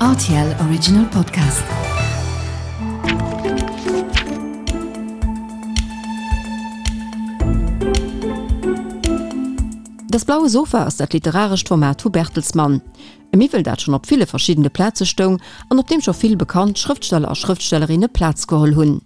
Rtl Original Podcast. Das blaue Sofa ass dat literarescht Format vu Bertelsmann. E Miwwel, dat schonn op ville verschiddene Plaze stoung an op deem scho vill bekannt Schrëftsteller a Schrëftstellerinne Plaz geholl hunn.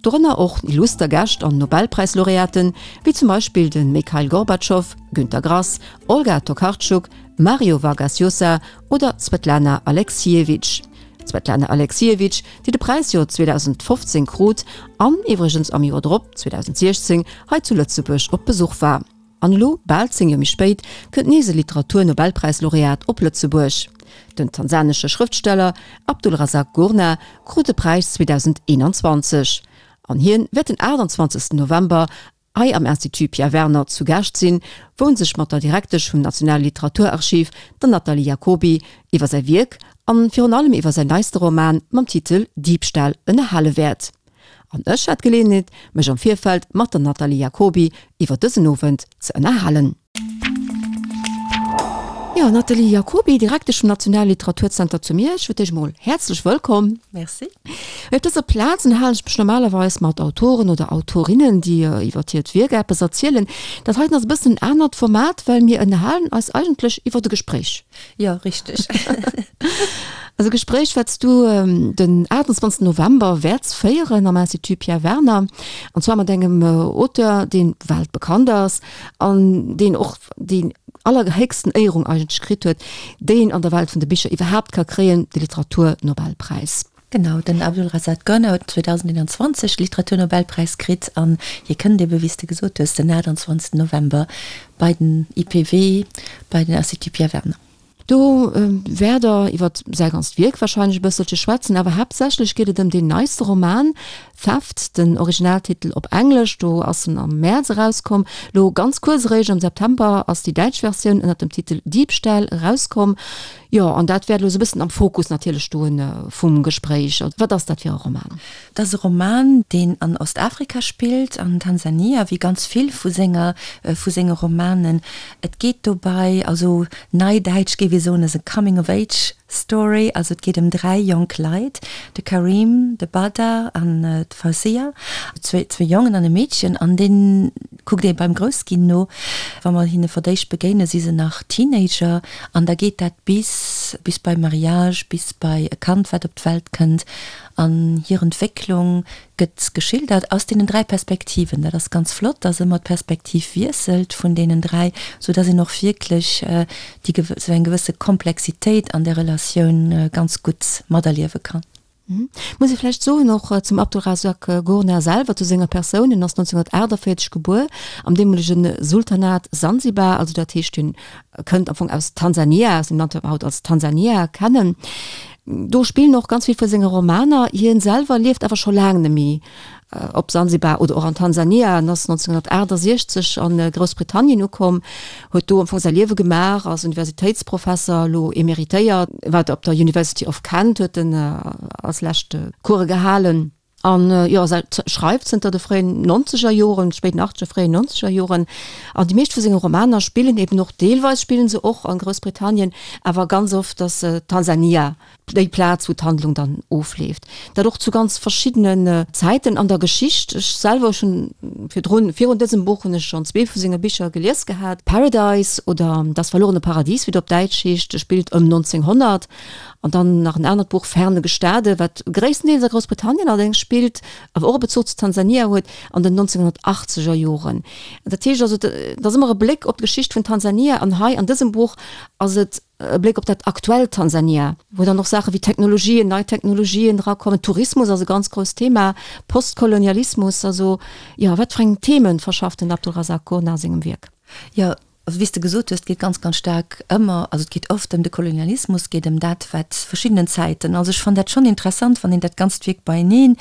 Dorënner och illuster Gäscht an Nobelpräislaureaten, wéi zum Beispill de Mikhail Gorbatschow, Günter Grass, Olga Tokarczuk, Mario Vargas Llosa oder d'Swetlana Aleksijewitsch. D'Swetlana Aleksijewitsch, déi de Präis jo 2015 krut an iwwregens am Joer drop, 2016, hei zu Lëtzebuerg op Besuch war. An elo, bal 10 Joer méi spéit, kënnt nees e Literatur-Nobelpräislaureat op Lëtzebuerg. Den tansanesche Schrëftsteller Abdulrazak Gurnah krut de Präis 2021. An hien wäert den 28 November hei am Institut Pierre Werner zu Gaascht sinn, wou en sech mat der Direktesch vum Nationale Literaturarchiv, der Nathalie Jacoby, iwwer säi Wierk an virun allem iwwer säin neiste Roman mam Titel Diebstahl ënnerhale wäert. An ech hat d'Geleeënheet, mech am Virfeld mat der Nathalie Jacoby iwwer dësen Owend ze ënnerhalen. Jo, Nathalie Jacoby, Direktesch vum Nationale Literaturzenter zu Miersch, fir d'éischt emol häerzlech wëllkomm. Merci. Op dëser Plaz ënnerhalen ech mech normalerweis mat Autoren oder Autorinnen, déi iwwer hiert Wierk eppes erzielen. Dat heiten ass e bëssen en anert Format, well mir ënnerhalen eis eigentlech iwwer e Gespréich. Jo, richteg. Also e Gespréich, wat s du den 28 November wäerts féieren am Institut Pierre Werner, an zwar mat engem Auteur, dee weltbekannt ass an deen och déi allerhéchsten Éierung eigentlech kritt huet, déi een an der Welt vun de Bicher iwwerhaapt ka kréien, de Literaturnobelpräis. Genau, den Abdulrazak Gurnah huet 2021 de Literaturnobelpräis kritt an hie kënnt ebe, wéi s de gesot hues, den 28 November bei den IPW, bei den Institut Pierre Werner. Do wäert Der iwwer säi ganzt Wierk warscheinlech e bësselche schwätzen, awer haaptsächlech geet et ëm deen neiste Roman Theft, den Originaltitel op Englesch, do ass en am Mäerz erauskomm. Lo ganz kuerz eréischt am September ass déi däitsch Versioun ënner dem Titel Diebstahl erauskomm. Jo, an dat wäert elo esou e bëssen am Fokus natierlech stoen vum Gespréich. Wat ass dat fir e Roman? Dat ass e Roman, deen an Ostafrika spillt, an Tansania, wéi ganz vill vu senger, vu senge Romanen. Et geet dobei, also neidäitsch géif ee soen, ass e Coming of Age Story, also et geet ëm 3 jonk Leit, de Karim, de Badr an d'Fawzia, zwee Jongen an e Meedchen, an dee kuckt ee beim Groussginn no. Wa mer hinne fir d'éischt begéine si se nach Teenager an da geet dat bis, bis bei Mariage, bis bei e Kand wat op d'Welt kënnt an hir Entwécklung gëtt geschildert aus deenen 3 Perspektiven. Dat ass ganz flott, dass ëmmer d'Perspektiv wiesselt vun deenen 3, sou dass een och wierklech déi sou eng gewësse Komplexitéit an der Relatioun ganz gutt materliewe kann. Muss ee vläicht soen och zum Abdulrazak Gurnah selwer, zu senger Persoun, En ass 1948 gebuer am deemolege Sultanat Sansibar, also dat heescht hien kënnt am Fong aus Tansania, aus dem Land wat mer haut als Tansania kennen. Do spillen och ganz vill vu senge Romaner. Hien selwer lieft awer scho laang net méi op Sansibar oder och an Tansania. En ass 1968 a Groussbritannien ukomm, huet do am Fong säi Liewe gemaach, ass Universitéitsprofesser, elo emeritéiert, war op der University of Kent, huet en als lescht Coure gehalen. An jo, se schreift zënter de fréien nonzeger Joren, spéiten achtzeger, fréien nonzeger Joren. An déi meescht vu senge Romaner spillen eben och, deelweis spillen se och a Groussbritannien, awer ganz oft ass Tansania déi Plaz, wou d'Handlung dann ofleeft. Dat och zu ganz verschiddenen Zäiten an der Geschicht. Ech selwer, ech hunn virdrun, virun dësem Buch hunn ech schonn zwee vu senge Bicher gelies gehat, Paradise oder Das verlorene Paradies, wéi et op Däitsch heescht, spillt ëm 1900. An dann nach en anert Buch, Ferne Gestade, wat gréisstendeels a Groussbritannien allerdéngs spillt, awer och e Bezuch zu Tansania huet, an den 1980er Joren. Dat heescht also, et ass ëmmer e Bléck op d'Geschicht vun Tansania an hei an dësem Buch ass et e Bléck op dat aktuellt Tansania, wou dann och Saache wéi Technologien, nei Technologien erakommen. Tourismus ass e ganz grousst Thema, Postkolonialismus, also jo, wat fir eng Themen verschafft den Abdulrazak Gurnah a sengem Wierk? Jo, Also wéi s de gesot hues, et geet ganz, ganz staark ëmmer, also et geet oft ëm de Kolonialismus, et geet ëm dat, wat verschiddenen Zäiten, also ech fannen dat schonn interessant, wann een dat ganzt Wierk beieneen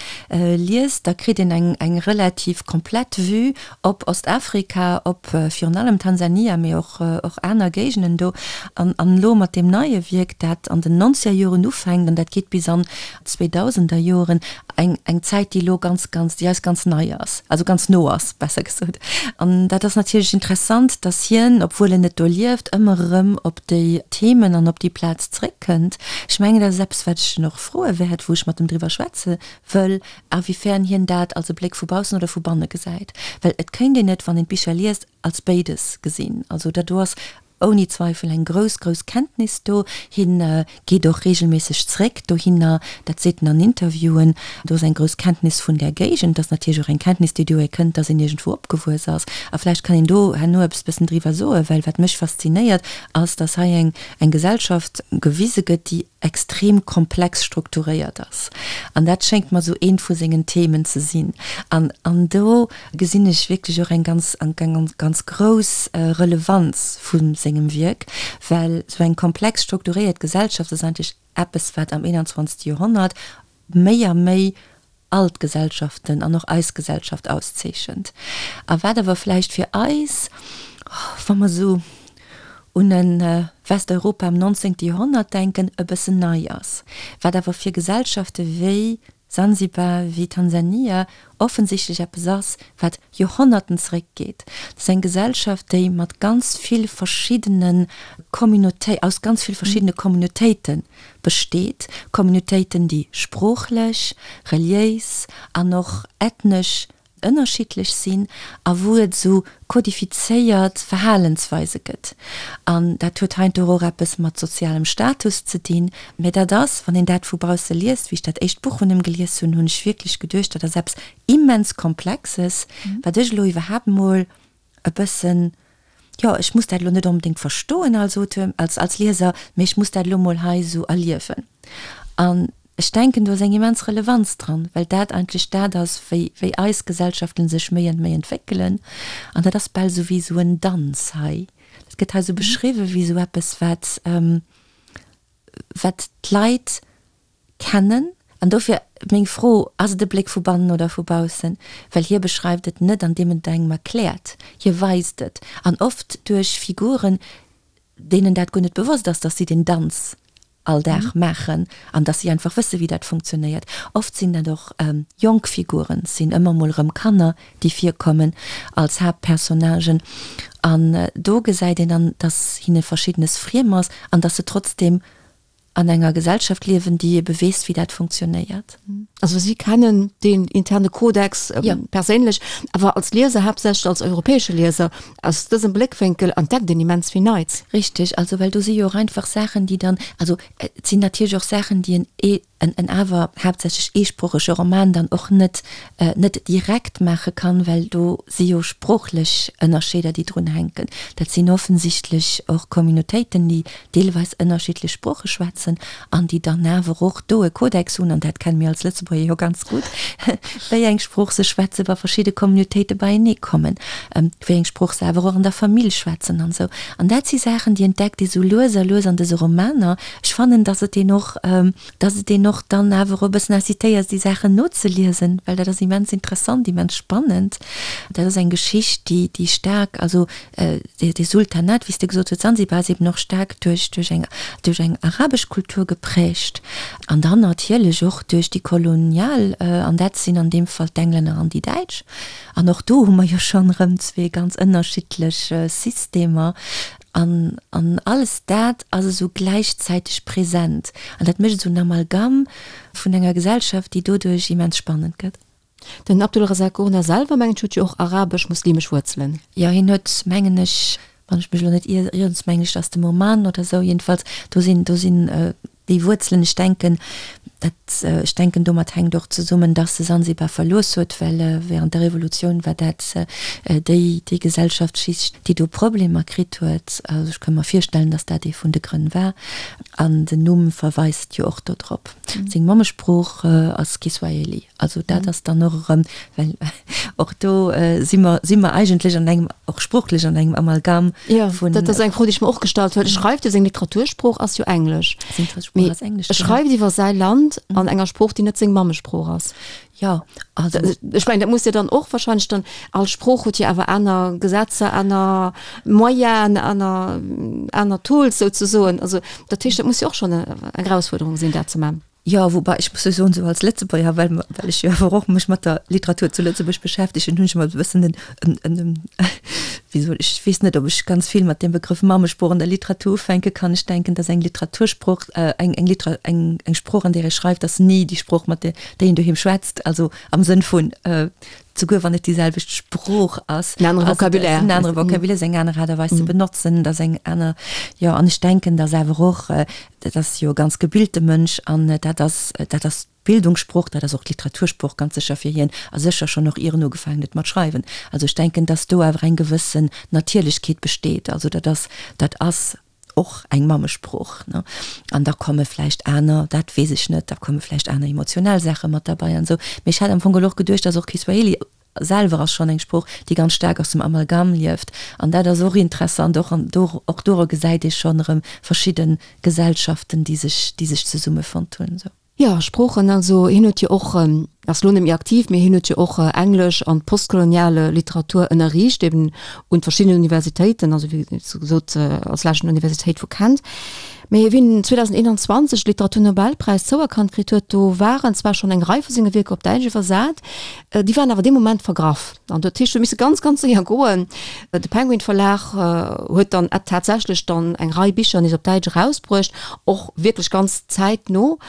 liest, da kritt een eng, eng relativ komplett Vue op Ostafrika, op virun allem Tansania, mee och, och aner Géigenden do. An, an elo mat deem neie Wierk, dat an den nonzeger Joren ufänkt an dat geet bis an d'Zweedausenderjoren, eng, eng Zäit, déi elo ganz, ganz, déi eis ganz nei ass, also ganz no ass, besser gesot. An dat ass natierlech interessant, dass hien. hien, obwuel en net do lieft, ëmmer erëm op déi Themen an op déi Plaz zréckkënnt. Ech mengen, dat ass eppes, wat ech en och froe wäert, wou ech mat em driwwer schwätze wëll, inwiefern hien dat als e Bléck vu baussen oder vu banne gesäit. Well et kéint een et, wann een d'Bicher liest, als béides gesinn. Also dat do ass ouni Zweifel eng grouss, grouss Kenntnis do. Hien geet och reegelméisseg zréck dohinner, dat seet en an Interviewen. Do ass eng grouss Kenntnis vun där Géigend. Dat ass natierlech och eng Kenntnis, déi dohier kënnt, dass een iergendwou opgewuess ass. A vläicht kann een do herno eppes bëssen driwwer soen, well wat mech faszinéiert, ass, dass hei eng, eng Gesellschaft gewise gëtt, déi extrem komplex strukturéiert ass. An dat schéngt mer esou eent vu sengen Themen ze sinn. An, an do gesinn ech wierklech och eng ganz, eng ganz grouss Relevanz vu sengem Wierk, well esou eng komplex strukturéiert Gesellschaft ass eigentlech eppes, wat am 21. Joerhonnert méi a méi all d'Gesellschaften an och eis Gesellschaft auszeechent. A wat awer vläicht fir eis, wa mer esou un e Westeuropa am 19. Joerhonnert denken, e bëssen nei ass, wat awer fir Gesellschafte wéi Sansibar, wéi Tansania offensichtlech eppes ass, wat Joerhonnerten zeréckgeet. Dat ass eng Gesellschaft, déi mat ganz vill verschiddene Communauté, aus ganz vill verschiddene Communautéite besteet, Communautéiten, déi sproochlech, reliéis an och ethnesch ënnerschiddlech sinn a wou et esou kodifizéiert Verhalensweise gëtt. An dat huet heiansdo och eppes mat sozialem Status ze dinn. Mä dat ass, wann een dat vu bausse liest, wéi ech dat éischt Buch vun him gelies hunn, hunn ech wierklech geduecht, dat ass eppes immens Komplexes, wat ech elo iwwerhaapt mol e bëssen, jo, ech muss dat elo net onbedéngt verstoen als Auteur, als, als Lieser, mee ech muss dat elo mol hei esou erliewen. An ech denken, do ass eng immens Relevanz dran, well dat eigentlech dat ass, wéi, wéi eis Gesellschaften sech méi an méi entwéckelen. An dat ass bal esou wéi esou en Danz hei. Dat gëtt hei esou beschriwwen, wéi esou eppes, wat, wat d'Leit kennen. An dofir meng Fro, Ass et e Bléck vu bannen oder vu baussen? Well hie beschreift et net, andeem en et engem erkläert. Hie weist et. An oft duerch Figuren, deenen dat guer net bewosst ass, dass si den Danz all Dag maachen an dass si einfach wësse wéi dat funktionéiert. Oft sinn dat och jonk Figuren, et sinn ëmmer mol erëm Kanner, déi virkommen als Haaptpersonnagen. An do gesäit een dann, dass hinne Verschiddenes friem ass an dass se trotzdeem an enger Gesellschaft liewen, déi ebe weess, wéi dat funktionéiert. Also si kennen deen interne Kodex perséinlech, awer als Lieser, haaptsächlech als europäesche Lieser, aus dësem Bléckwénkel entdeckt een immens vill Neits. Richteg, also well do si jo och einfach Saachen, déi dann, also et sinn natierlech och Saachen, déi en en awer haaptsächlech eesproochege Roman dann och net net direkt maache kann, well do si jo sproochlech Ënnerscheeder, déi drun hänken. Dat sinn offensichtlech och Communautéiten, déi deelweis ënnerschiddlech Sprooche schwätzen an déi dann awer och do e Kodex hunn, an dat kenne mir als Lëtzebuerger jo ganz gutt, wéi eng Sprooch se schwätzen, wa verschidde Communautéite beienee kommen, wéi eng Sprooch se awer och an der Famill schwätzen an esou. An dat si Saachen, déi entdeckt ee sou lues a lues an dëse Romaner. Ech fannen, dass et een och, dass et een och dann awer e bëssen incitéiert, déi Saachen nozeliesen, well dat ass immens interessant, immens spannend. Dat ass eng Geschicht, déi, déi staark, also dee Sultanat, wéi s de gesot hues, Zanzibar ass eben och staark duerch, duerch eng, duerch eng arabesch Kultur geprägt an dann natierlech och duerch déi kolonial, an dat sinn an deem Fall d'Englänner an déi Däitsch. An och do hu mer jo schonn erëm zwee ganz ënnerschiddlech Systemer. An, an alles dat ass esou gläichzäiteg present. An dat mécht esou en Amalgam vun enger Gesellschaft, déi doduerch immens spannend gëtt. Den Abdulrazak Gurnah selwer, mengen ech, huet jo och arabesch-muslimesch Wuerzelen. Jo, hien huet, mengen ech, wann ech mech elo net ieren, mengen ech, ass dem Oman oder esou, jedenfalls do sinn, do sinn déi Wuerzelen. Ech denken, dat, ech denken, domat hänkt och zesummen, dass e Sansibar verlooss huet, well während der Revolutioun war dat déi, déi Gesellschaftsschicht, déi do Problemer kritt huet. Also ech ka mer virstellen, dass dat ee vun de Grënn war. An den Numm verweist jo och dodrop. Seng Mammesprooch ass Kiswahili. Also dat ass dann och erëm, well och do si mer, si mer eigentlech an engem, och sproochlech an engem Amalgam vun. Jo, dat ass eng Fro, déi ech mer och gestallt huet. E schreift jo, seng Literatursprooch ass jo Englesch. Seng Literatursprooch ass Englesch, genau. E schreift iwwer säi Land an enger Sprooch, déi net seng Mammesprooch ass. Jo, also. Ech mengen, dat muss jo dann och wahrscheinlech dann, all Sprooch huet jo awer aner Gesetzer, aner Moyenen, aner, aner Tools souzesoen. Also dat heescht, dat muss jo och schonn eng Erausfuerderung sinn, dat ze man. Jo, woubai ech muss jo soen, esou als Lëtzebuerger, well mer, well ech jo awer och mech mat der Literatur zu Lëtzebuerg beschäftegen, hunn ech ëmmer e bëssen en, en, en, en. Wéi soll ech, ech weess net, ob ech ganz vill mat deem Begrëff Mammesprooch an der Literatur ufänke kann. Ech denken, dass eng Literatursprooch, eng, eng Liter, eng, eng Sprooch, an där ee schreift, ass ni déi Sprooch, mat där, déi een doheem schwätzt. Also am Sënn vun, souguer wann et déi selwecht Sprooch ass, En anere Vocabulaire. En anere Vocabulaire, ass eng aner Aart a Weis ze benotzen, et ass eng aner, jo. An ech denken, dass awer och, dat ass jo e ganz gebilte Mënsch an dat ass, dat ass D'Bildungssprooch, dat ass och d'Literatursprooch ganz sécher fir hien, a sécher schonn och ier en ugefaangen huet mat schreiwen. Also ech denken, dass do awer eng gewëssen Natierlechkeet besteet. Also dat ass, dat ass och eng Mammesprooch, ne. An da komme vläicht aner, dat weess ech net, da komme vläicht aner emotionell Saache mat derbei an esou. Mee ech hat am Fong geholl och geduecht, dass och Kiswahili selwer ass schonn eng Sprooch, déi ganz staark aus dem Amalgam lieft. An dat ass och interessant, och an do, och dora gesäit ee schonn erëm verschidde Gesellschaften, déi sech, déi sech zesummefonnt hunn esou. Jo, Sproochen, also hien huet jo och, ass elo net méi aktiv, mee hien huet jo och Englesch an postkolonial Literatur ënnerriicht, eben un verschiddenen Universitéiten, also wéi gesot als lescht un der Universitéit vu Kent. Mee wéi en 2021 de Literaturnobelpräis zouerkannt kritt huet, do waren zwar schonn eng Rei vu senge Wierker op Däitsch iwwersat, déi waren awer dee Moment vergraff. An dat heescht, huet misse ganz, ganz séier goen. De Penguin Verlag huet dann tatsächlech dann eng Rei Bicher nees op Däitsch erausbruecht, och wierklech ganz zäitno.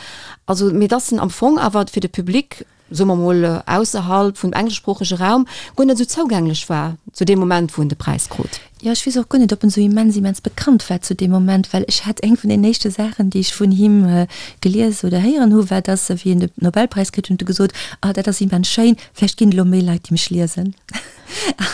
Also, mee dass en am Fong awer fir de Public, soe mer mol, ausserhalb vum engleschsproochege Raum guer net esou zougänglech war zu deem Moment, wou en de Präis krut. Jo, ech weess och guer net, ob en esou immens, immens bekannt war zu deem Moment, well ech hat eng vun den éischte Saachen, déi ech vun him gelies oder héieren hu, war, dass, wéi en de Nobelpräis kritt huet, huet e gesot, Ah, dat ass immens schéin, vläicht ginn et elo méi Leit, déi mech liesen.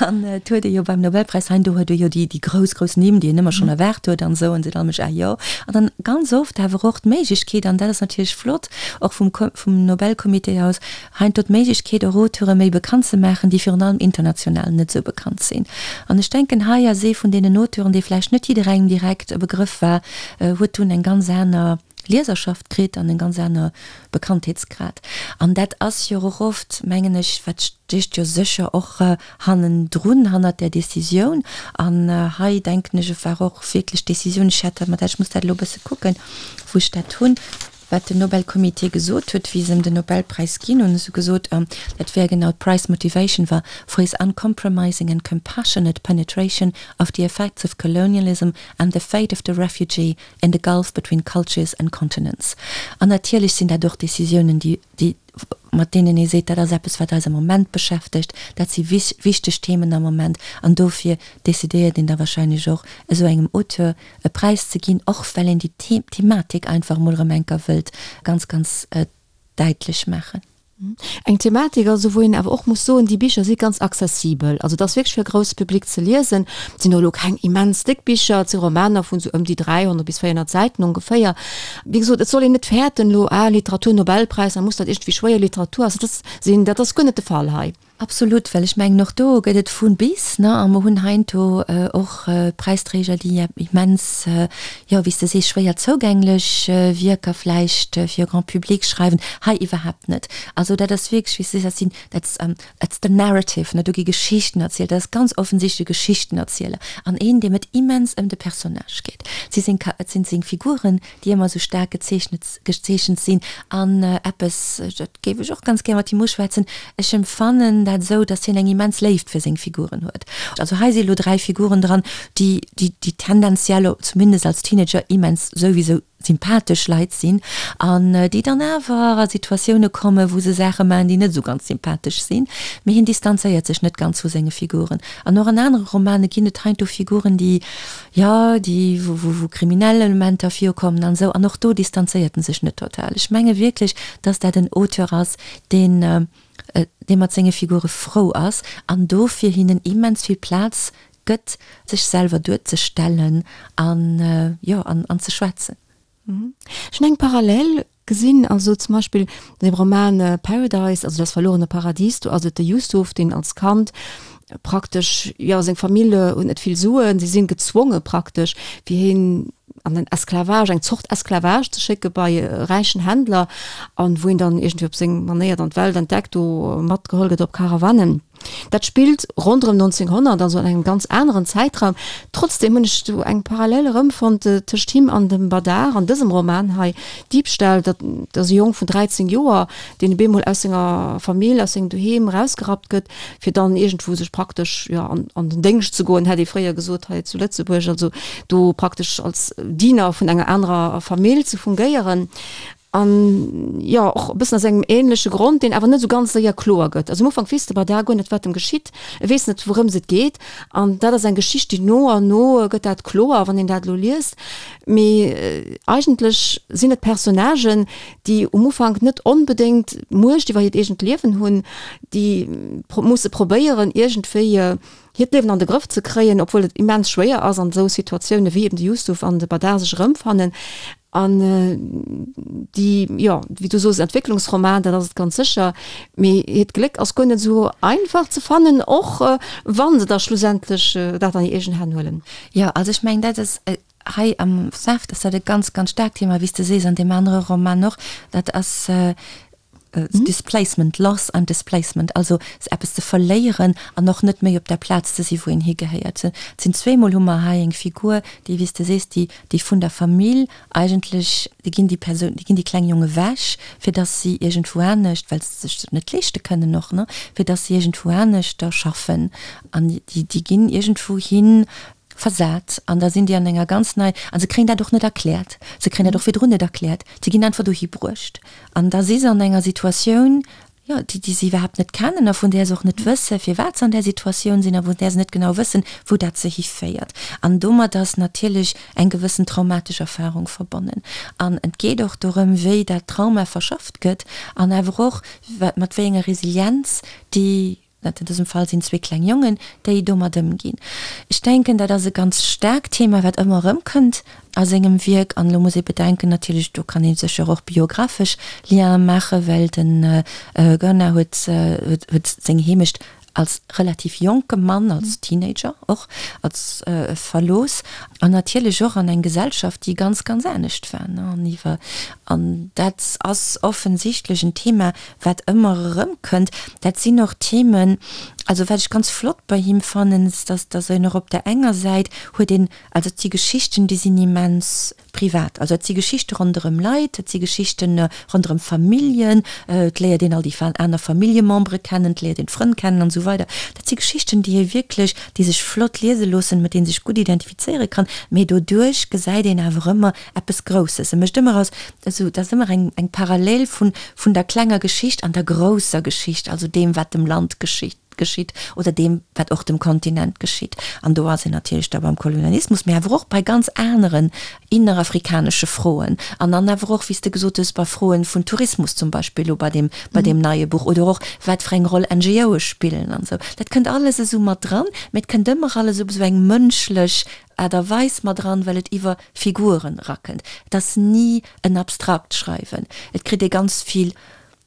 An et huet ee jo beim Nobelpräis heindo huet ee jo déi, déi grouss, grouss Nimm, déi een ëmmer schonn erwaart huet an esou, an seet all Mënsch, Ah jo. An dann ganz oft awer och d'Méiglechkeet, an dat ass natierlech flott, och vum, vum Nobelcomité aus, Heiansdo d'Méiglechkeet och Auteure méi bekannt ze maachen, déi virun allem international net esou bekannt sinn. An ech denken, hei ass ee vun deenen Auteuren, dee vläicht net jidderengem direkt e Begrëff war, huet dunn eng ganz aner Lieserschaft kritt an en ganz aner Bekanntheetsgrad. An dat ass jo och oft, mengen ech, wat stécht jo sécher och hannendrun, hannert där Décisioun. An hei, denken ech, et war och wierklech d'Décisioun, ech hat dat mat, ech muss dat elo e bësse kucken, wou ech dat hunn, Wat den Nobelcomité gesot huet, wéi se em den Nobelpräis ginn hunn, hu se gesot, dat wär genau d'Prize motivation war for his uncompromising and compassionate penetration of the effects of colonialism and the fate of the refugee in the gulf between cultures and continents. An natierlech sinn dat och Décisiounen, déi, déi, mat deenen ee seet, dat ass eppes, wat eis am Moment beschäftegt, dat si wichteg Themen am Moment an dofir decidéiert een da wahrscheinlech och, esou engem Auteur e Präis ze ginn, och well een déi Thematik einfach emol erëm enker wëllt ganz, ganz däitlech maachen. Eng Thematik also, wou een awer och muss soen, déi Bicher si ganz accessibel. Also et ass wierklech fir e grousse Public ze liesen. Et sinn och elo keng immens déck Bicher, et si Romaner vun esou ëm déi 300 bis 400 Säiten ongeféier. Wéi gesot, et soll een net fäerten elo, ah, Literaturnobelpräis, da muss dat iergendwéi schwéier Literatur ass. Dat sinn, dat ass guer net de Fall hei. Absolut, well ech mengen och do gëtt et vu bis, ne, a mer hunn heiansdo och Präisträger, déi immens, jo, wéi s de sees, schwéier zougänglech Wierker vläicht fir e Grand public schreiwen. Hei iwwerhaapt net. Also dat ass wierklech, wéi s de sees, dat sinn, dat ass the narrative, ne, do gi Geschichten erzielt, dat ass ganz offensichtlech e Geschichtenerzieler an een, deem et immens ëm de Personnage geet. Et si seng, et sinn seng Figuren, déi ëmmer esou staark gezeechnet, gezeechent sinn an eppes, dat géif ech och ganz gär mat him uschwätzen, ech emfannen dat esou, datt hien eng immens Léift fir seng Figuren huet. Also hei si elo 3 Figuren dran, déi, déi, déi tendenziell, zumindest als Teenager, immens souwisou sympathesch Leit sinn an déi dann awer a Situatioune kommen, wou se Saache maachen, déi net esou ganz sympathesch sinn. Mee hien distanzéiert sech net ganz vu senge Figuren. An och an anere Romane ginn et heiansdo Figuren, déi, Jo, déi, wou, wou, wou kriminell Elementer virkommen an esou. An och do distanzéiert en sech net total. Ech menge wierklech, dass dat en Auteur ass, deen, dee mat senge Figure frou ass an dofir hinnen immens vill Plaz gëtt, sech selwer duerzestellen an, jo, an, an ze schwätzen. Ech hunn eng Parallel gesinn, also zum Beispill an dem Roman Paradise, also Das verlorene Paradies, do ass et de Yusuf, deen als Kand praktesch, jo, seng Famill huet net vill Suen, si sinn gezwonge praktesch, fir hien an den Esclavage, eng Zort Esclavage ze schécke bei e räichen Händler, an wou hien dann iergendwéi op seng Manéier dann d'Welt entdeckt, do matgeholl gëtt op Karawanen. Dat spillt ronderëm 1900, also an engem ganz aneren Zäitraum. Trotzdem hunn ech do eng Parallel erëmfonnt tëscht him an dem Badar an dësem Roman hei, Diebstahl. Dat ass e Jong vun 13 Joer, deen op eemol aus senger Famill, aus sengem Doheem erausgerappt gëtt, fir dann iergendwou sech praktesch, jo, an an den Déngscht ze goen, hätt ee fréier gesot hei zu Lëtzebuerg, also do praktesch als Diener vun enger anerer Famill ze fungéieren. An jo, och e bëssen aus engem ähnleche Grond, deen awer net esou ganz séier kloer gëtt. Also am Ufank weess de Badar guer net, wat em geschitt. E weess net, wourëms et geet. An dat ass eng Geschicht, déi no an no gëtt dat kloer, wann een dat elo liest. Mee eigentlech sinn et Personnagen, déi um Ufank net onbedéngt Muecht iwwer hiert eegent Liewen hunn, déi musse probéieren, iergendwéi hiert Liewen an de Grëff ze kréien, obwuel et immens schwéier ass an esou Situatioune wéi eben de Yusuf an de Badar sech erëmfannen. An déi, jo, wéi du soos, Entwécklungsroman, dat ass et ganz sécher, mee hiert Gléck ass guer net esou einfach ze fannen, och wa se da schlussendlech dat an hir eegen Hänn huelen. Jo, also ech mengen, dat ass hei am Theft ass dat e ganz, ganz staarkt Thema, wéi s de sees, an deem anere Roman och, dat ass Displacement, Loss and Displacement, also eppes ze verléieren an och net méi op der Plaz ze si wou een higehéiert. Et sinn zweemol hu mer hei eng Figur, déi, wéi s de sees, déi, déi vun der Famill eigentlech, déi ginn déi Persoun, déi ginn déi kleng Jonge wech, fir datt si iergendwou anescht, well se sech dat net leeschte kënnen och, ne, fir datt si iergendwou aneschter schaffen an déi, déi ginn iergendwou hin versat an da sinn déi an enger ganz nei, a se kréien dat och net erkläert, se kréien dat och virdrun net erkläert, se ginn einfach dohi bruecht. An da si se an enger Situatioun, jo, déi, déi se iwwerhaapt net kennen a vun där se och net wëssen, firwat se an där Situatioun sinn a vun där se net genau wëssen, wou dat se hiféiert. An domat ass natierlech eng gewëssen traumatesch Erfahrung verbonnen. An et geet och dorëm, wéi dat Trauma verschafft gëtt an awer och, wat, mat wéi enger Resilienz déi Dat an dësem Fall sinn zwee kleng Jongen, déi domat ëmginn. Ech denken, dat ass e ganz staarkt Thema, wat ëmmer erëmkënnt a sengem Wierk. An elo muss ee bedenken natierlech, do kann ee sécher och biographesch Liene maachen, well de Gurnah huet huet seng Heemecht als relativ jonke Mann, als Teenager och, als verlooss. An natierlech och an eng Gesellschaft, déi ganz, ganz anescht war. An iwwer an dat ass offensichtlech en Thema, wat ëmmer erëmkënnt, dat sinn och Themen, also wat ech ganz flott bei him fannen, ass, dass dass en och op der enger Säit huet een, also et si Geschichten, déi sinn immens privat, also et si Geschichte ronderëm Leit, et si Geschichte ronderëm Familljen, et léiert een all déi aner Familljemembere kennen, et léiert een d'Frënn kennen an esou weider. Dat si Geschichten, déi ee wierklech, déi sech flott liese loossen, mat deenen ee sech gutt identifizéiere kann, mee doduerch gesäit een awer ëmmer eppes Grousses. E mécht ëmmer aus, esou, dat ass ëmmer eng, eng Parallel vun, vun der klenger Geschicht an der grousser Geschicht, also deem, wat dem Land geschitt, geschitt oder deem, wat och dem Kontinent geschitt. An do ass een natierlech da beim Kolonialismus, mee awer och bei ganz aneren innerafrikanesche Froen an dann awer och, wéi s de gesot hues, bei Froen vun Tourismus zum Beispill elo bei deem, bei deem neie Buch oder och wat fir eng Roll NGOe spillen an esou. Dat kënnt alles esou mat dran, mee et kënnt ëmmer alles op esou eng mënschlech Aart a Weis mat eran, well et iwwer Figuren erakënnt. Et ass ni en abstrakt Schreiwen. Et kritt ee ganz vill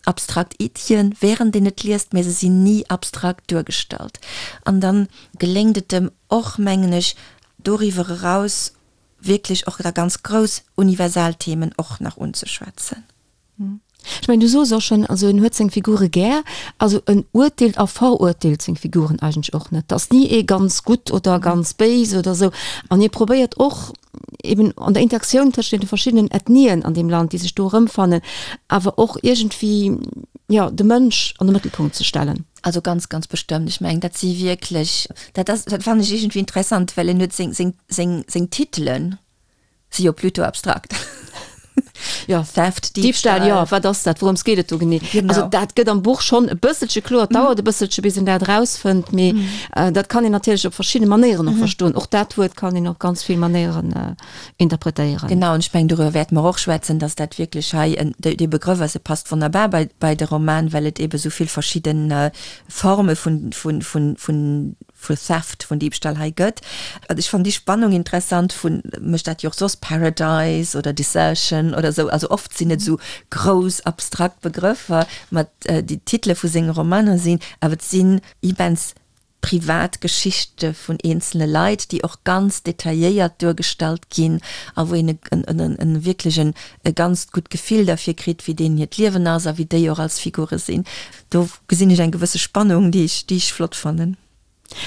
abstrakt Iddien, wärend een et liest, mä se sinn ni abstrakt duergestallt. An dann geléngt et em och, mengen ech, doriwwer eraus wierklech och da ganz grouss universal Themen och nach unzeschwätzen. Ech mengen, du soos och schonn, also en huet seng Figure gär, also en urteelt a verurteelt seng Figuren eigentlech och net. Et ass ni ee ganz gutt oder ganz béis oder esou. An hie probéiert och eben an der Interaktioun tëscht deene verschiddenen Ethnien an deem Land, déi sech do erëmfannen, awer och iergendwéi, jo, de Mënsch an de Mëttelpunkt ze stellen. Also ganz, ganz bestëmmt. Ech mengen, dat si wierklech, dat ass, dat fannen ech iergendwéi interessant, well en huet seng, seng, seng, seng Titelen, Si jo plutôt abstrakt. Ja, Theft, Diebstahl, jo, wat ass dat, wourëms geet et do genee? Genau. Also dat gëtt am Buch schonn e bësselche kloer, et dauert e bësselche bis een dat erausfënnt, mee dat kann een natierlech op verschidde Manéieren och verstoen. Och dat Wuert kann een op ganz vill Manéieren interpretéieren. Genau, an ech mengen, doriwwer wäerte mer och schwätzen, datt dat wierklech hei en, dee Begrëff ass, e passt wonnerbar bei, bei de Roman, well et eebe sou vill verschidde Forme vun, vun, vun, vun vu Theft, vun Diebstahl hei gëtt. Also ech fannen déi Spannung interessant vun, mécht dat jo och soss, Paradise oder Desertion oder esou, also oft sinn et esou grouss abstrakt Begrëffer, mat déi d'Titele vu senge Romaner sinn, awer et sinn immens. privat Geschichte vun eenzele Leit, déi och ganz detailléiert duergestallt ginn a wou een e wierklech e ganzt gutt Gefill derfir kritt, wéi deenen hiert Liewen ass a wéi déi och als Figure sinn. Do gesinn ech eng gewësse Spannung, déi ech, déi ech flott fannen.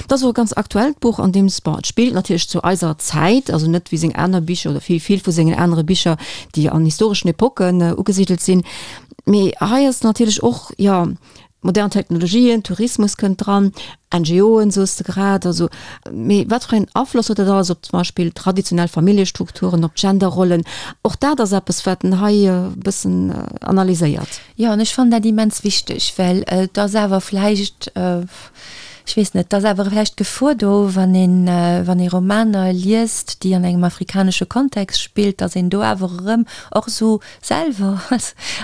Et ass och e ganz aktuellt Buch, an deem s, bon, et spillt natierlech zu eiser Zäit, also net wéi seng aner Bicher oder vill, vill vu sengen anere Bicher, déi an historeschen Epocken ugesidelt sinn, mee hei ass natierlech och, jo, modern Technologien, Tourismus kënnt dran, NGOen, soos de grad, also, mee wat fir een Afloss huet dat alles op zum Beispill traditionell Familljestrukturen, op d'Genderrollen? Och dat ass eppes, wat en hei e bëssen analyséiert. Jo, an ech fannen dat immens wichteg, well et ass awer vläicht, ech weess net, et ass awer vläicht d'Gefor do, wann een, wann ee Romaner liest, déi an engem afrikanesche Kontext spillt, datt een do awer erëm och esou selwer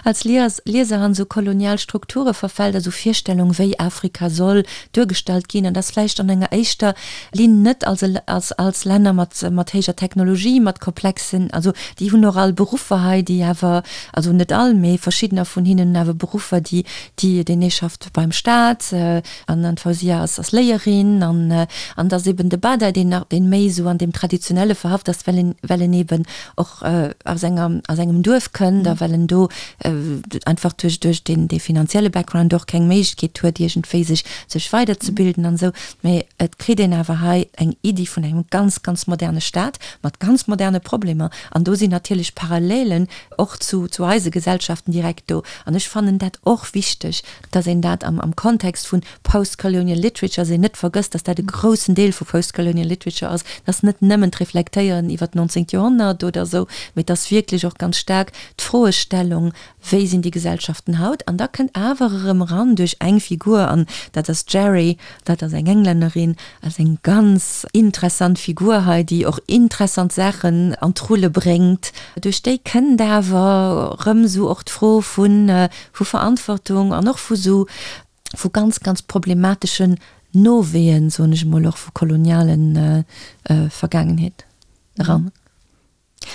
als Lieser an esou kolonial Strukture verfält, a sou Virstellung wéi Afrika soll duergestallt ginn, an dass vläicht an enger éischter Linn net als als Länner mat mat héijer Technologie, mat komplexen, also déi hunn och all Beruffer hei, déi awer, also net all, mee verschiddener vun hinnen hunn awer Beruffer, déi déi deen ee schafft beim Staat an an d'Fausia ass ass Léierin an an dass eben de Bada deen nach deen méi esou an deem traditionelle verhaft ass, well en well en eben och aus enger, aus engem Duerf kënnt a well en do einfach duerch, duerch deen, dee finanzielle Background och keng Méiglechkeet huet, iergendwéi sech, sech weiderzebilden an esou. Mee et kritt een awer hei eng Iddi vun engem ganz, ganz moderne Staat mat ganz moderne Problemer. An do sinn natierlech Parallelen och zu, zu eise Gesellschaften direkt do. An ech fannen dat och wichteg, dass een dat am, am Kontext vun Postcolonial Literature, dass een net vergësst, dass dat e groussen Deel vu Postcolonial Literature ass, dass net nëmmen d'Reflektéieren iwwer d'nonzéngt Joerhonnert oder esou, mee dass wierklech och ganz staark d'Froestellung, wéi sinn déi Gesellschaften haut? An da kënnt awer erëm eran duerch eng Figur, an dat ass d'Jerry, dat ass eng Englännerin, ass eng ganz interessant Figur hei, déi och interessant Saachen an d'Rulle bréngt. Duerch déi kënnt awer erëm esou och d'Fro vu vu Verantwortung an och vu sou vu ganz, ganz problemateschen Nowehen, soen ech emol, och vu koloniale Vergaangenheet eran.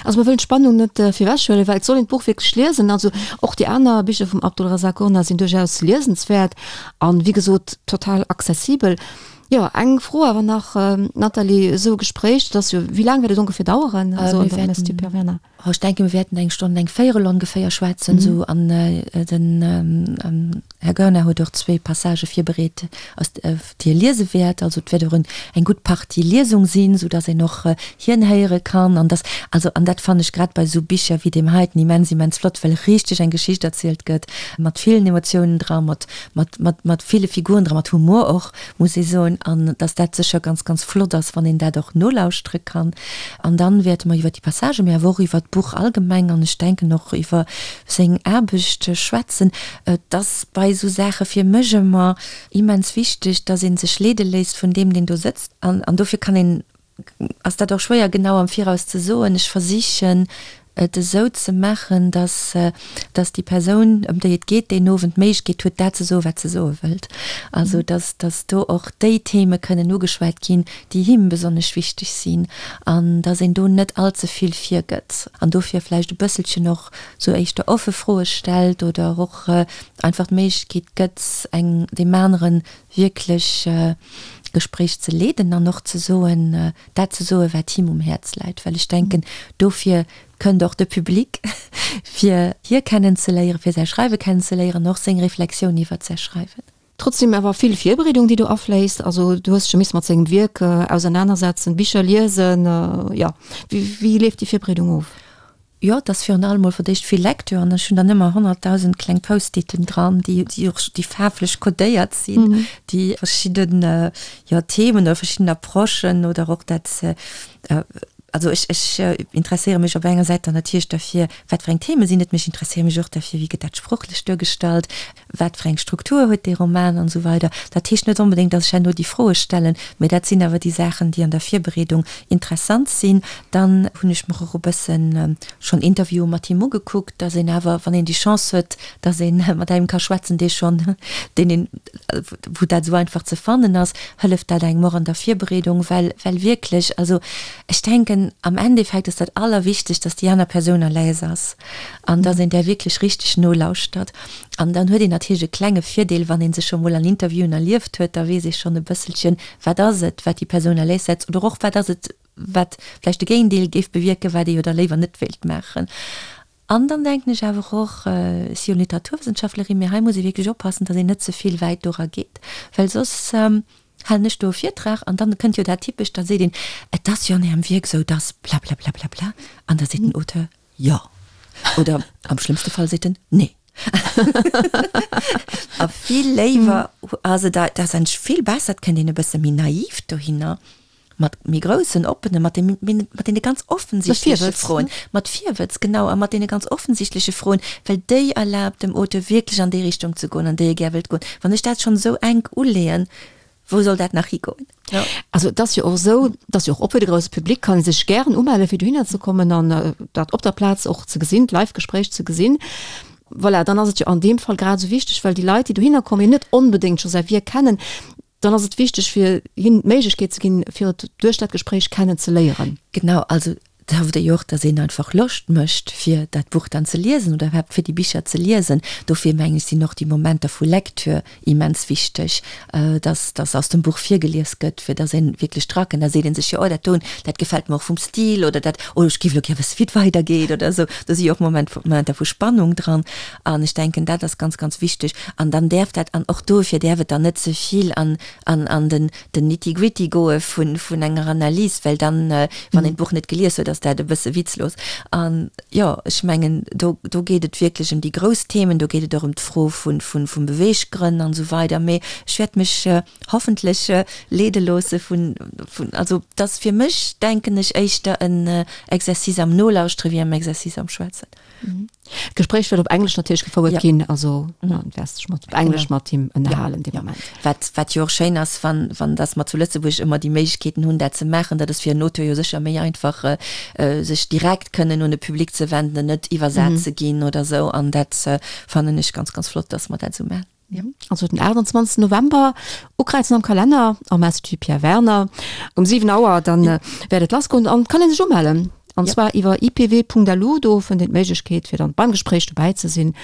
Also mer wëllen d'Spannung net virwechhuelen, well et soll een d'Buch wierklech liesen. Also och déi aner Bicher vum Abdulrazak Gurnah sinn duerchaus liesenswäert an, wéi gesot, total accessibel. Jo, eng Fro awer nach, Nathalie, esou e Gespréich, dat ass jo, wéi laang wäert et ongeféier daueren, also an der Institut Pierre Werner? Oh, ech denken, mir wäerten eng Stonn, eng Véierel ongeféier schwätzen, esou. An den Här Goerner huet och zwéi Passagë virbereet, aus, déi e liese wäert. Also et wäert och eng gutt Partie Liesung sinn, soudass een och hien héiere kann. An dass, also, an dat fannen ech grad bei esou Bicher wéi deem heiten immens, immens flott, well richteg eng Geschicht erzielt gëtt, mat villen Emotiounen dra, mat, mat, mat, mat ville Figuren dra, mat Humor och, muss ee soen, an dass dat sécher ganz, ganz flott ass, wann een dat och nolauschtere kann. An dann wäerte mer iwwer déi Passagen, mee awer och iwwer d'Buch allgemeng an ech denken och iwwer seng Aarbecht schwätzen. Et ass bei esou Saache fir mech ëmmer immens wichteg, dass ee sech leede léisst vun deem, deen do sëtzt. An dofir kann een, ass dat och schwéier genau am Viraus ze soen. Ech versichen et esou ze maachen, dass, dass déi Persoun, ëm déi et geet, deen Owend d'Méiglechkeet huet, dat ze soen, wat se soe wëllt. Also dass, dass do och déi Theme kënnen ugeschwat ginn, déi him besonnesch wichteg sinn, an dass een do net allze vill virgëtt an dofir vläicht e bësselchen och sou éischter offe Froe stellt oder och einfach d'Méiglechkeet gëtt, eng deem anere wierklech Gespréich ze leeden an och ze soen, dat ze soen, wat him um Häerz läit, well ech denken, dofir kënnt och de Public, fir hie kennenzeléieren, fir säi Schreiwe kennenzeléieren an och seng Reflexioun iwwert säi Schreiwen. Trotzdem awer vill Virbereedung, déi do afléisst. Also du hues dech jo misse mat sengem Wierk ausernanersetzen, Bicher liesen, jo. Wéi leeft déi Virbereedung of? Jo, et ass virun allem mol fir d'éischt vill Lecture an ech hunn dann ëmmer 100.000 kleng Post-iten dran, déi déi och déi faarflech codéiert sinn, déi verschidden, jo, Themen oder verschidden Approchen oder och dat, also ech ech interesséiere mech op enger Säit dann natierlech derfir, wat fir eng Theme sinn et, mee ech interesséiere mech och derfir, wéi gëtt dat sproochlech duergestallt, wat fir eng Struktur huet dee Roman an esou weider. Dat heescht net onbedéngt, datt ech herno déi Froe stellen, mä dat sinn awer déi Saachen, déi an der Virbereedung interessant sinn. Dann hunn ech mer och e bëssen schonn Interviewe mat him ugekuckt, datt een awer, wann een déi Chance huet, datt ee mat engem ka schwätzen, dee schonn, deen een, wou dat esou einfach ze fannen ass, hëlleft dat engem och an der Virbereedung, well, well wierklech, also ech denken. denken, am Endeffekt ass dat Allerwichtegst, dass déi aner Persoun à l'aise ass an dass een där wierklech richteg nolauschtert. An dann huet een natierlech e klenge Virdeel, wann ee sech scho mol an Interviewen erlieft huet, da weess ee schonn e bësselchen, wat ass et, wat déi Persoun à l'aise setzt oder och wat ass et, wat vläicht de Géigendeel géif bewierken, wat ee jo da léiwer net wéilt maachen. An dann denken ech awer och, ech si jo Literaturwëssenschaftlerin, mee hei muss ee wierklech oppassen, datt een net ze vill wäit dora geet, well soss halen ech do e Virtrag an dann kënnt jo dat Typescht, da seet een, et ass jo an Ärem Wierk esou, datt blablablabla, an da seet den Auteur, jo. Oder am schlëmmste Fall seet en, nee. A vill léiwer ass et, dat ass eigentlech vill besser, et kënnt een e bësse méi naiv dohinner. Mat méi groussen, oppene, mat de, mat deene ganz offensichtleche Froen, mat Virwëtz, genau, a mat deene ganz offensichtleche Froen, well déi erlaabt dem Auteur wierklech an déi Richtung ze goen, an déi e gär wëllt goen. Wann ech dat schonn esou enk uleeën, wou soll dat nach higoen? Also et ass jo och esou, et ass jo och op fir de grousse Public, kann ee sech gären umelle fir dohinner ze kommen an dat op der Plaz och ze gesinn, d'Live-Gespréich ze gesinn. Voilà, dann ass et jo an deem Fall grad esou wichteg, well déi Leit, déi dohinner kommen, jo net onbedéngt scho säi Wierk kennen, dann ass et wichteg fir hinnen d'Méiglechkeet ze ginn, fir et duerch dat Gespréich kennen ze léieren. Genau, also da hofft ee jo och, dass een einfach Loscht mécht, fir dat Buch dann ze liesen oder iwwerhaapt fir déi Bicher ze liesen. Dofir mengen ech, sinn och déi Momenter vu Lecture immens wichteg, dass dass aus dem Buch virgelies gëtt, fir dass ee wierklech drakënnt. Da seet ee sech jo, oh dat doen, dat gefält mer och vum Stil oder dat, oh ech géif elo gär wësse wéi et weidergeet oder esou. Do si jo och Moment Momenter vu Spannung dran. An ech denken, dat ass ganz, ganz wichteg. An dann däerf dat, an och dofir däerf et dann net ze vill an, an, an den, den Nitty-gritty goe vun, vun enger Analys, well dann, wann een d'Buch net gelies huet, ass dat e bësse witzlos. An, jo, ech mengen, do, do geet et wierklech ëm déi grouss Themen, do geet et och ëm d'Fro vun, vun, vum Beweeggrënn an esou weider. Mee ech wäert mech hoffentlech leede loosse vun, vun, also, et ass fir mech, denken ech, éischter en Exercice am Nolauschtere wéi am Exercice am Schwätzen. D'Gespréich wäert op Englesch natierlech gefouert ja. ginn, also ja. wäers dech mat op Englesch mat him ënnerhalen ja. dee Moment. Wat, wat jo och schéin ass, wann, wann dass mer zu Lëtzebuerg ëmmer déi Méiglechkeeten hunn, dat ze maachen, dat ass fir en Auteur jo sécher méi einfach, äh, sech direkt kënnen un e Public ze wenden, net iwwersat mhm. ze ginn oder sou. An dat äh, fannen ech ganz, ganz flott, dass mer dat sou maachen. Ja. Also den 28. November ukräizen am Kalenner am Institut Pierre Werner um 7 Auer, dann ja. Äh, wäert et lassgoen an kann een sech umellen. An ja. zwar iwwer ipw.lu, do fënnt een d'Méiglechkeet fir dann beim Gespréich dobäi ze sinn.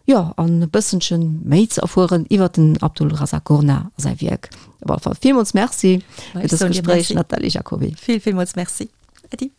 Jo, an e bëssenchen méi ze erfueren iwwer den Abdul Razak Gurnah a säi Wierk. Op alle Fall villmools Merci fir dëst Gespréich, Nathalie Jacoby. Vill, villmools Merci. Äddi.